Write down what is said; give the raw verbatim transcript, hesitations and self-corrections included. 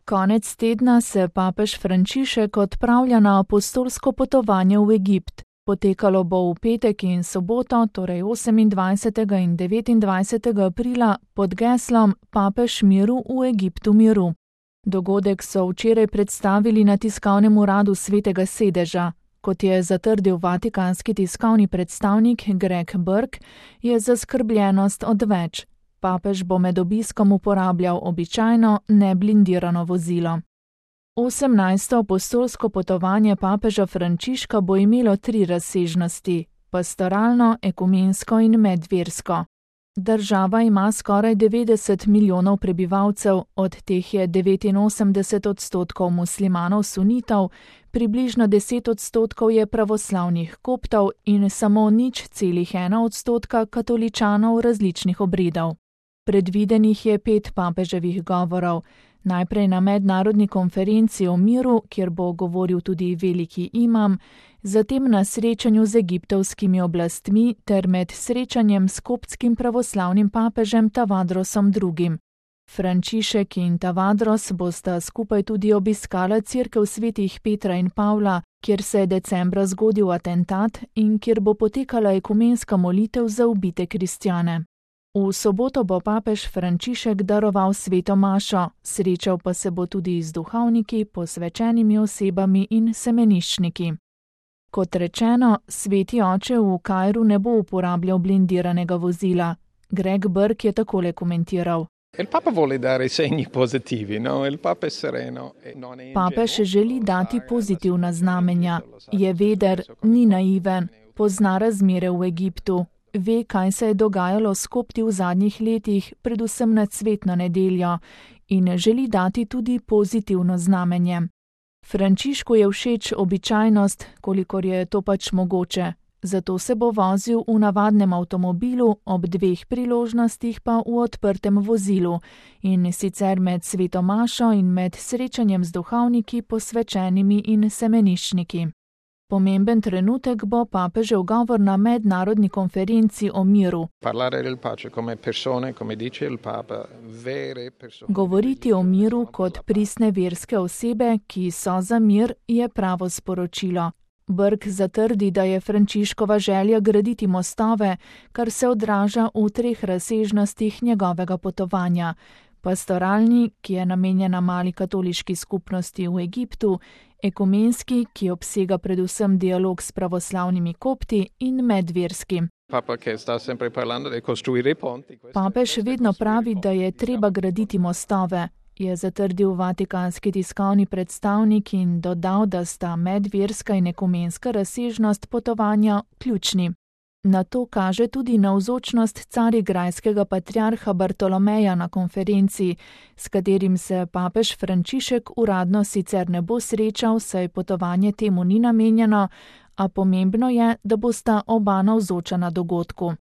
Konec tedna se papež Frančišek odpravlja na apostolsko potovanje v Egipt. Potekalo bo v petek in soboto, torej osemindvajsetega in devetindvajsetega aprila, pod geslom Papež miru v Egiptu miru. Dogodek so včeraj predstavili na tiskovnem uradu Svetega sedeža. Kot je zatrdil vatikanski tiskovni predstavnik Greg Burke, je zaskrbljenost odveč. Papež bo med obiskom uporabljal običajno neblindirano vozilo. osemnajsto apostolsko potovanje papeža Frančiška bo imelo tri razsežnosti: pastoralno, ekumensko in medversko. Država ima skoraj devetdeset milijonov prebivalcev, od teh je devetinosemdeset odstotkov muslimanov sunitov, približno deset odstotkov je pravoslavnih koptov in samo nič celih ena odstotka katoličanov različnih obredov. Predvidenih je pet papeževih govorov, najprej na mednarodni konferenci o miru, kjer bo govoril tudi veliki imam, zatem na srečanju z egiptovskimi oblastmi ter med srečanjem s koptskim pravoslavnim papežem Tavadrosom drugim. Frančišek in Tavadros bosta skupaj tudi obiskala cerkev svetih Petra in Pavla, kjer se je decembra zgodil atentat in kjer bo potekala ekumenska molitev za ubite kristjane. V soboto bo papež Frančišek daroval sveto mašo, srečal pa se bo tudi z duhovniki, posvečenimi osebami in semeniščniki. Kot rečeno, sveti oče v Kairu ne bo uporabljal blindiranega vozila. Greg Burke je takole komentiral. Papež želi dati pozitivna znamenja. Je veder, ni naiven, pozna razmere v Egiptu. Ve, kaj se je dogajalo s kopti v zadnjih letih, predvsem na cvetno nedeljo, in želi dati tudi pozitivno znamenje. Frančišku je všeč običajnost, kolikor je to pač mogoče, zato se bo vozil v navadnem avtomobilu, ob dveh priložnostih pa v odprtem vozilu, in sicer med sveto mašo in med srečanjem z duhovniki, posvečenimi in semeniščniki. Pomemben trenutek bo papežev govor na mednarodni konferenci o miru. Govoriti o miru kot pristne verske osebe, ki so za mir, je pravo sporočilo. Burke zatrdi, da je Frančiškova želja graditi mostove, kar se odraža v treh razsežnostih njegovega potovanja. Pastoralni, ki je namenjena mali katoliški skupnosti v Egiptu, ekumenski, ki obsega predvsem dialog s pravoslavnimi kopti, in medverski. Papež vedno pravi, da je treba graditi mostove, je zatrdil vatikanski tiskovni predstavnik in dodal, da sta medverska in ekumenska razsežnost potovanja ključni. Na to kaže tudi navzočnost carigrajskega patriarha Bartolomeja na konferenci, s katerim se papež Frančišek uradno sicer ne bo srečal, saj potovanje temu ni namenjeno, a pomembno je, da bosta oba navzoča na dogodku.